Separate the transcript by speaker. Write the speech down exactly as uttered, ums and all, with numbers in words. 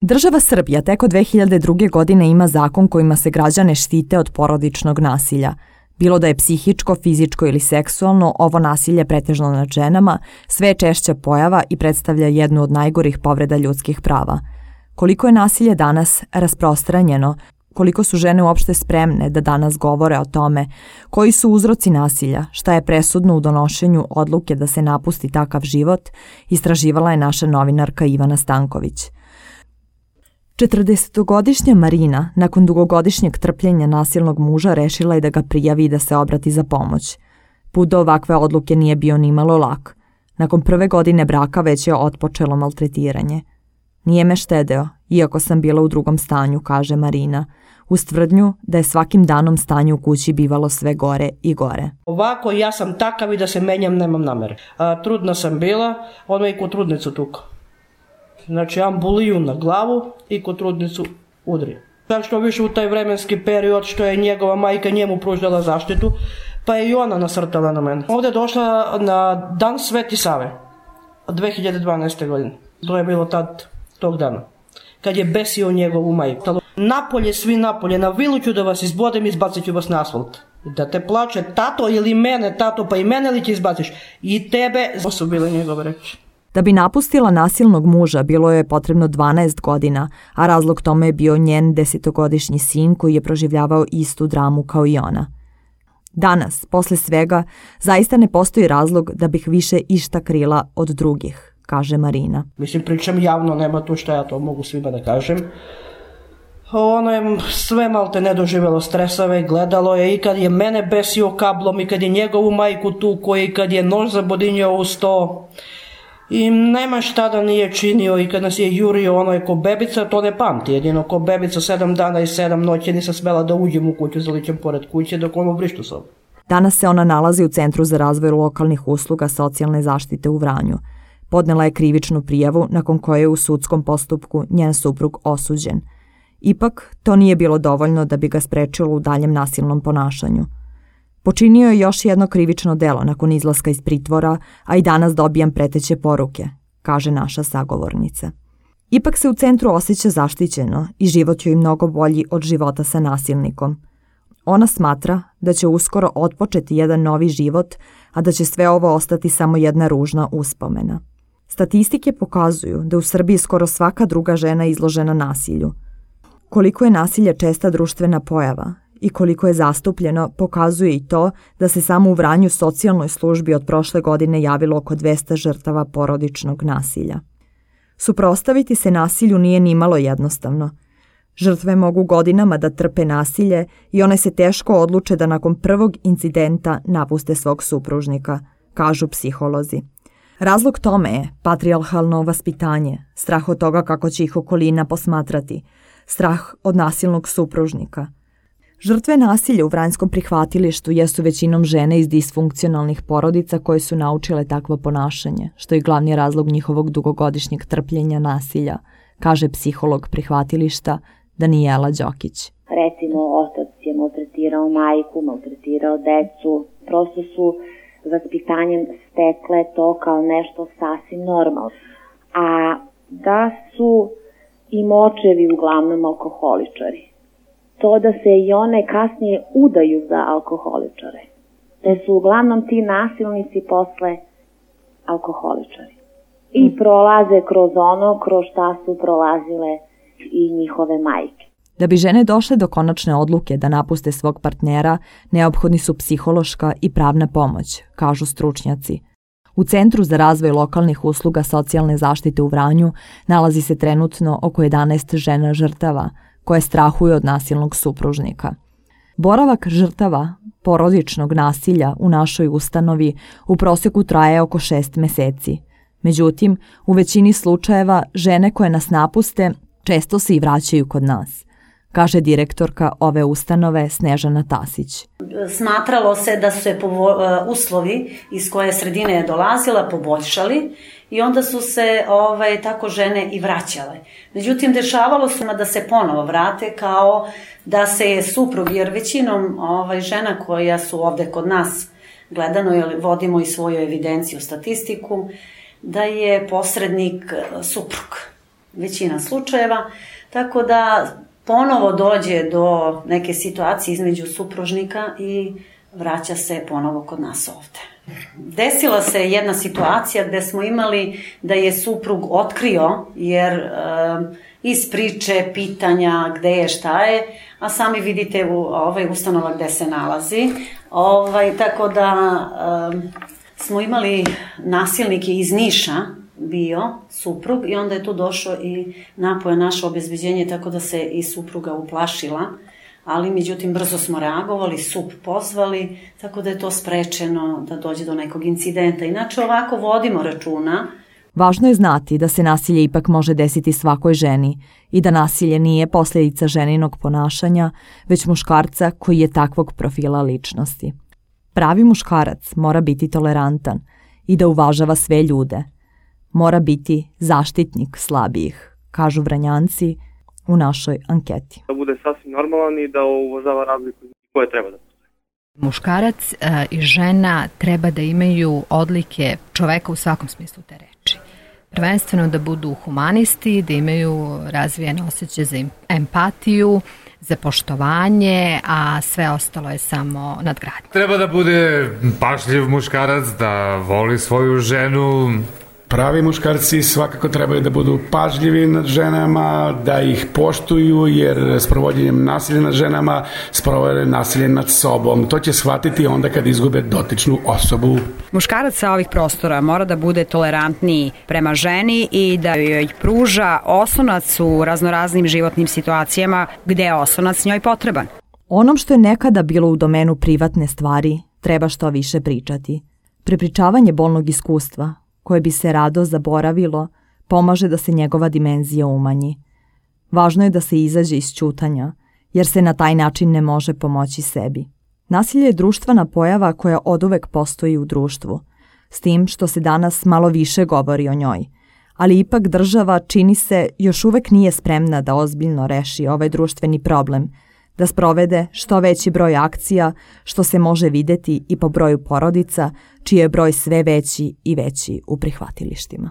Speaker 1: Država Srbija tek od dve hiljade druge. godine ima zakon kojima se građane štite od porodičnog nasilja. Bilo da je psihičko, fizičko ili seksualno, ovo nasilje pretežno nad ženama sve je češća pojava i predstavlja jednu od najgorih povreda ljudskih prava. Koliko je nasilje danas rasprostranjeno, koliko su žene uopšte spremne da danas govore o tome, koji su uzroci nasilja, šta je presudno u donošenju odluke da se napusti takav život, istraživala je naša novinarka Ivana Stanković. četrdesetogodišnja Marina, nakon dugogodišnjeg trpljenja nasilnog muža, rešila je da ga prijavi i da se obrati za pomoć. Put do ovakve odluke nije bio nimalo lak. Nakon prve godine braka već je otpočelo maltretiranje. Nije me štedeo, iako sam bila u drugom stanju, kaže Marina, uz tvrdnju da je svakim danom stanje u kući bivalo sve gore i gore.
Speaker 2: Ovako ja sam takav i da se menjam nemam namere. A, trudna sam bila, ono i kod trudnicu tukao. Znači ambuliju na glavu i kod trudnicu udri. Tako što više u taj vremenski period što je njegova majka njemu pružala zaštitu, pa je i ona nasrtala na mene. Ovdje je došla na dan Sveti Save, dve hiljade dvanaeste. godine. To je bilo tad, tog dana, kad je besio njegovu majku. Napolje, svi napolje, na vilu ću da vas izbodem i izbacit ću vas na asfalt. Da te plače tato ili mene, tato pa i mene li će izbaciš? I tebe, to su bile njegove reči.
Speaker 1: Da bi napustila nasilnog muža bilo je potrebno dvanaest godina, a razlog tome je bio njen desetogodišnji sin koji je proživljavao istu dramu kao i ona. Danas, posle svega, zaista ne postoji razlog da bih više išta krila od drugih, kaže Marina.
Speaker 2: Mislim, pričam javno, nema tu šta ja to mogu svima da kažem. Ono je sve malte ne doživjelo stresove, gledalo je i kad je mene besio kablom i kad je njegovu majku tuko i kad je nož zabodinjao u sto. I nema šta da nije činio i kad nas je jurio ono je ko bebica, to ne pamti. Jedino ko bebica sedam dana i sedam noći nisam smela da uđem u kuću, zaličem pored kuće dok ono vrištu sobu.
Speaker 1: Danas se ona nalazi u Centru za razvoj lokalnih usluga socijalne zaštite u Vranju. Podnela je krivičnu prijavu nakon koje je u sudskom postupku njen suprug osuđen. Ipak, to nije bilo dovoljno da bi ga sprečilo u daljem nasilnom ponašanju. Počinio je još jedno krivično delo nakon izlaska iz pritvora, a i danas dobijam preteće poruke, kaže naša sagovornica. Ipak se u centru osjeća zaštićeno i život joj mnogo bolji od života sa nasilnikom. Ona smatra da će uskoro otpočeti jedan novi život, a da će sve ovo ostati samo jedna ružna uspomena. Statistike pokazuju da u Srbiji skoro svaka druga žena je izložena nasilju. Koliko je nasilje česta društvena pojava i koliko je zastupljeno pokazuje i to da se samo u Vranju socijalnoj službi od prošle godine javilo oko dvesta žrtava porodičnog nasilja. Suprotstaviti se nasilju nije nimalo jednostavno. Žrtve mogu godinama da trpe nasilje i one se teško odluče da nakon prvog incidenta napuste svog supružnika, kažu psiholozi. Razlog tome je patrijarhalno vaspitanje, strah od toga kako će ih okolina posmatrati, strah od nasilnog supružnika. Žrtve nasilja u vranjskom prihvatilištu jesu većinom žene iz disfunkcionalnih porodica koje su naučile takvo ponašanje, što je glavni razlog njihovog dugogodišnjeg trpljenja nasilja, kaže psiholog prihvatilišta Danijela Đokić.
Speaker 3: Recimo, otac je maltretirao majku, maltretirao decu, prosto su vaspitanjem stekle to kao nešto sasvim normalno. A da su i močevi uglavnom alkoholičari. To da se i one kasnije udaju za alkoholičare. Da su uglavnom ti nasilnici posle alkoholičari. I prolaze kroz ono kroz šta su prolazile i njihove majke.
Speaker 1: Da bi žene došle do konačne odluke da napuste svog partnera, neophodni su psihološka i pravna pomoć, kažu stručnjaci. U Centru za razvoj lokalnih usluga socijalne zaštite u Vranju nalazi se trenutno oko jedanaest žena žrtava, koje strahuju od nasilnog supružnika. Boravak žrtava porodičnog nasilja u našoj ustanovi u prosjeku traje oko šest meseci. Međutim, u većini slučajeva žene koje nas napuste često se i vraćaju kod nas, kaže direktorka ove ustanove Snežana Tasić.
Speaker 4: Smatralo se da su se uslovi iz koje sredine je dolazila poboljšali i onda su se ovaj, tako žene i vraćale. Međutim, dešavalo se da se ponovo vrate kao da se je suprug, jer većinom ovaj, žena koja su ovde kod nas gledano, jer vodimo i svoju evidenciju, statistiku, da je posrednik suprug. većina slučajeva, tako da ponovo dođe do neke situacije između supružnika i vraća se ponovo kod nas ovde. Desila se jedna situacija gde smo imali da je suprug otkrio, jer e, iz priče, pitanja gde je, šta je, a sami vidite u ovaj ustanova gde se nalazi. Ovaj, tako da e, smo imali nasilnike iz Niša, bio suprug, i onda je tu došao i napoje naše obezbeđenje, tako da se i supruga uplašila, ali međutim brzo smo reagovali, sup pozvali, tako da je to sprečeno da dođe do nekog incidenta. Inače ovako vodimo računa.
Speaker 1: Važno je znati da se nasilje ipak može desiti svakoj ženi i da nasilje nije posljedica ženinog ponašanja, već muškarca koji je takvog profila ličnosti. Pravi muškarac mora biti tolerantan i da uvažava sve ljude. Mora biti zaštitnik slabijih, kažu Vranjanci u našoj anketi.
Speaker 5: Da bude sasvim normalan i da uvažava razliku koje treba da postoje.
Speaker 6: Muškarac a, i žena treba da imaju odlike čoveka u svakom smislu te reči. Prvenstveno da budu humanisti, da imaju razvijene osjećaje za empatiju, za poštovanje, a sve ostalo je samo nadgradnje.
Speaker 7: Treba da bude pažljiv muškarac, da voli svoju ženu.
Speaker 8: Pravi muškarci svakako trebaju da budu pažljivi nad ženama, da ih poštuju, jer sprovođenjem nasilja nad ženama sprovode nasilje nad sobom. To će shvatiti onda kad izgube dotičnu osobu.
Speaker 9: Muškarac sa ovih prostora mora da bude tolerantniji prema ženi i da joj pruža oslonac u raznoraznim životnim situacijama gde je oslonac njoj potreban.
Speaker 1: Onom što je nekada bilo u domenu privatne stvari treba što više pričati. Prepričavanje bolnog iskustva, koje bi se rado zaboravilo, pomaže da se njegova dimenzija umanji. Važno je da se izađe iz ćutanja, jer se na taj način ne može pomoći sebi. Nasilje je društvena pojava koja oduvek postoji u društvu, s tim što se danas malo više govori o njoj, ali ipak država, čini se, još uvek nije spremna da ozbiljno reši ovaj društveni problem, da sprovede što veći broj akcija, što se može videti i po broju porodica, čiji je broj sve veći i veći u prihvatilištima.